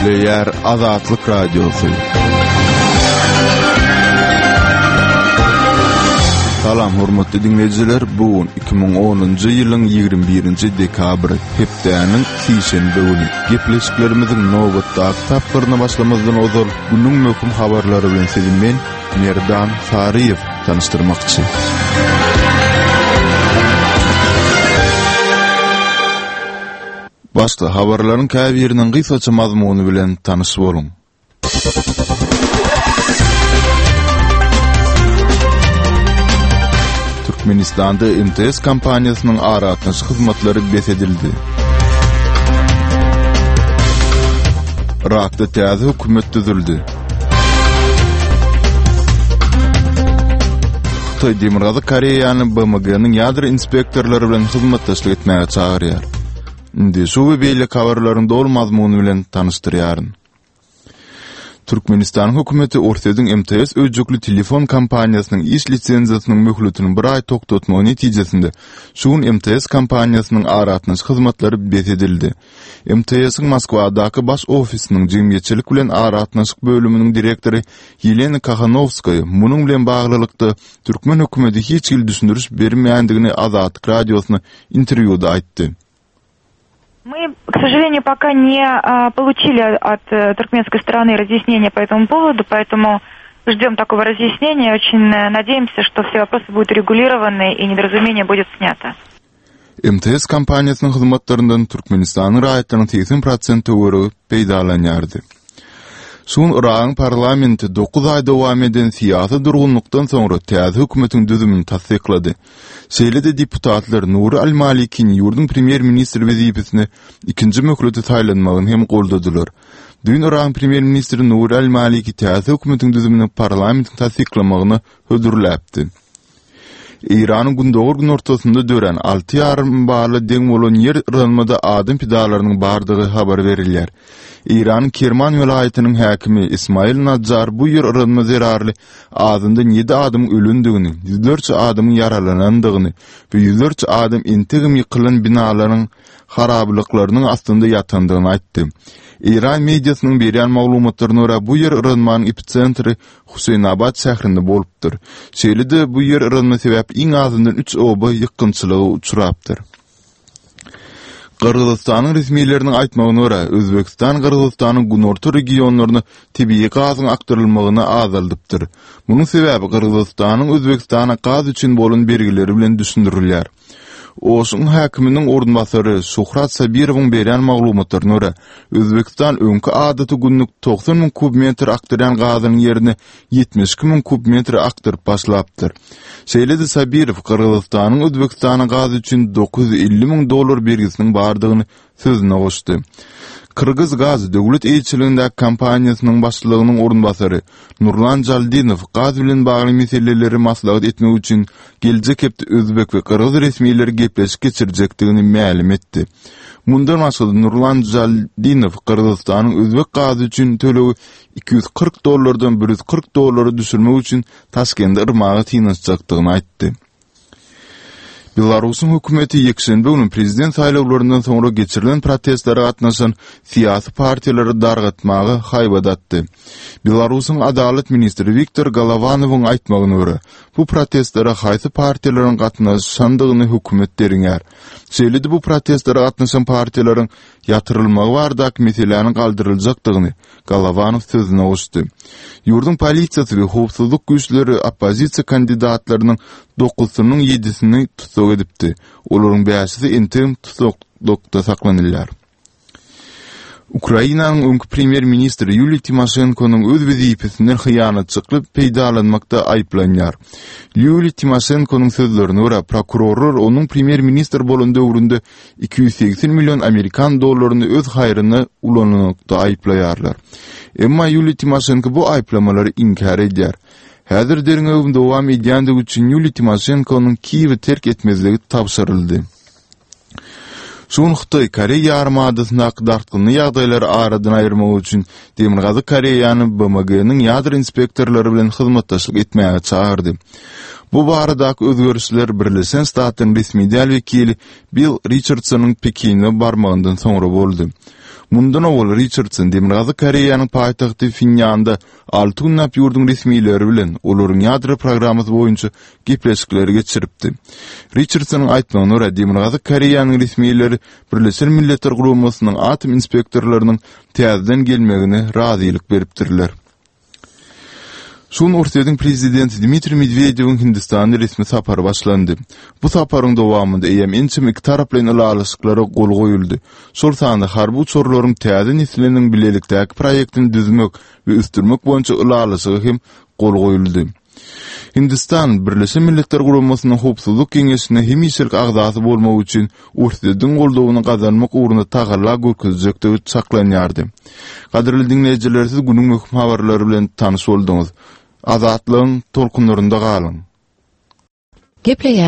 Gepleýär Azatlyk Radiosy. Salam hormatly diňleýjiler, bu gün 2010-njy ýylyň 21-nji dekabry, hepdäniň sişenbe güni. Gepleşiklerimiziň nobatdaky tapgyryna başlamazdan ozal, günüň möhüm habarlary bilen sizi men, Merdan Saryýew tanyşdyrmakçy. Başda habarlaryň käbiriniň gysgaça mazmuny bilen tanyş boluň. Türkmenistanda MTS kompaniýasynyň aragatnaşyk hyzmatlary bes edildi. Yrakda täze hökümet düzüldi. Hytaý Demirgazyk Koreýany BMG-niň ýadro inspektorlary bilen hyzmatdaşlyk etmäge çagyrýar. Indi şu we beýleki habarlaryň doly mazmuny bilen tanyşdyrýaryn. Türkmenistanyň hökümeti Orsýetiň MTS öýjükli telefon kompaniýasynyň iş lisenziýasynyň möhletini bir aý togtatmagy netijesinde şu gün MTS kompaniýasynyň aragatnaşyk hyzmatlary bes edildi. MTS-iň Moskwadaky baş ofisiniň jemgyýetçilik bilen aragatnaşyk bölüminiň direktory Ýelena Kahanowskaýa munuň bilen baglylykda türkmen hökümeti hiç hili düşündiriş bermeýändigini Azatlyk Radiosyna interwýuda aýtdy. Мы, к сожалению, пока не получили от э, туркменской стороны разъяснения по этому поводу, поэтому ждем такого разъяснения. Очень э, надеемся, что все вопросы будут урегулированы и недоразумение будет снято. MTS kompaniýasynyň hyzmatlaryndan Türkmenistanyň raýatlarynyň 80 prosent töweregi peýdalanýardy. Şu gün Yragyň parlamenti dokuz aý dowam eden syýasy durgunlykdan soňra täze hökümetiň düzümini tassyklady. Şeýle-de deputatlar Nuri al-Malikini ýurduň premýer-ministri wezipesine ikinji möhlete saýlanmagyny hem goldadylar. Düýn Yragyň premýer-ministri Nuri al-Maliki täze hökümetiň düzümini parlamentiň tassyklamagyna hödürläpdi. Eýranyň gündogar-günortasynda dörän 6,5 bala deň bolan ýer yranmada adam pidalarynyň bardygy habar berilýär. Eýranyň Kerman welaýatynyň häkimi Ismail Najjar bu ýer yranma zerarly azyndan ýedi adamyň ölendigini, ýüzlerçe adamyň ýaralanandygyny we ýüzlerçe adam entegem ýykylan binalaryň harabalyklarynyň astynda ýatandygyny aýtdy. Eýran mediasynyň berýän maglumatlaryna görä, bu ýer yranmanyň episentri Huseýnabat şäherinde bolupdyr. Şeýle-de bu ýer yranma sebäpli iň azyndan üç oba ýykgynçylyga uçrapdyr. Gyrgyzystanyň resmileriniň aýtmagyna görä, Özbegistan Gyrgyzystanyň günorta regionlaryna tebigy gazyň akdyrylmagyny azaldypdyr. Munuň sebäbi Gyrgyzystanyň Özbegistana gaz üçin bolan bergileri bilen düşündirilýär. Oşuň häkiminiň orunbasary Şuhrat Sabirowyň berýän maglumatlaryna görä, Özbegistan öňki adaty günlük 90 müň kub metr akdyrýan gazynyň ýerine 72 müň kub metr akdyryp başlapdyr. Şeýle-de Sabirow Gyrgyzystanyň Özbegistana gaz üçin 950 müň dollar bergisiniň bardygyny sözüne goşdy. Kyrgyzgaz döwlet eýeçiligindäki kompaniýasynyň başlygynyň orunbasary Nurlan Jaldinow gaz bilen bagly meseleleri maslahat etmek üçin geljek hepde özbek we gyrgyz resmileri gepleşik geçirjekdigini mälim etdi. Mundan başga-da Nurlan Jaldinow Gyrgyzystanyň özbek gazy üçin tölegi 240 dollardan 140 dollara düşürmek üçin Taşkendi yrmaga synanyşjakdygyny aýtdy. Belarusyň hökümeti ýekşenbe güni prezident saýlawlaryndan soňra geçirilen protestlere gatnaşan syýasy partiýalary dargatmaga haýbat atdy. Belarusyň adalat ministri Wiktor Golowanowyň aýtmagyna görä, bu protestlere haýsy partiýalaryň gatnaşandygyny hökümet derňär. Şeýle-de bu protestlere gatnaşan partiýalaryň ýatyrylmagy baradaky meseläniň galdyryljakdygyny Golowanow sözüne goşdy. Ýurduň polisiýasy we howpsuzlyk güýçleri oppozisiýa kandidatlarynyň dokuzysynyň ýedisini tussag edipdi. Olaryň bäşisi entegem tussaglykda saklanylýar. Ukrainanyň öňki premýer-ministri Ýuliýa Timoşenkonyň öz wezipesinden hyýanatçykly peýdalanmakda aýyplanýar. Ýuliýa Timoşenkonyň sözlerine görä, prokurorlar onuň premýer-ministr bolan döwründe 280 million amerikan dollaryny öz haýryna ulananlykda aýyplaýarlar. Emma Ýuliýa Timoşenko bu aýyplamalary inkär edýär. Häzir derňewiň dowam edýändigi üçin Ýuliýa Timoşenkonyň Kiýewi terk etmezligi tabşyryldy. Şu gün Hytaý Koreý ýarymadasyndaky dartgynly ýagdaýlary aradan aýyrmak üçin Demirgazyk Koreýany BMG-niň ýadro inspektorlary bilen hyzmatdaşlyk etmäge çagyrdy. Bu baradaky özgerişler Birleşen Ştatlaryň resmi däl wekili Bill Riçardsonyň Pekine barmagyndan soňra boldy. Mundan owal Riçardson Demirgazyk Koreýanyň paýtagty Phenýanda alty günläp ýurduň resmileri bilen olaryň ýadro programmasy boýunça gepleşikleri geçiripdi. Riçardsonyň aýtmagyna görä, Demirgazyk Koreýanyň resmileri Birleşen Milletler Guramasynyň atom inspektorlarynyň täzeden gelmegine razylyk beripdirler. Şu gün Orsýetiň prezidenti Dmitriý Medwedewiň Hindistana resmi sapary başlandy. Bu saparyň dowamynda eýýäm ençeme ikitaraplaýyn ylalaşyklara gol goýuldy. Şol sanda harby uçarlaryň täze nesliniň bilelikdäki proýektini düzmek we ösdürmek boýunça ylalaşyga hem gol goýuldy. Hindistan Birleşen Milletler Guramasynyň Howpsuzlyk Geňeşine hemişelik agzasy bolmak üçin Orsýetiň goldawyny gazanmak ugrunda tagalla görkezjekdigi çaklanýardy. Gadyrly diňleýjiler siz günüň möhüm habarlary bilen tanyş bolduňyz. Azatlygyň tolkunlarynda galyň! Gepleýär.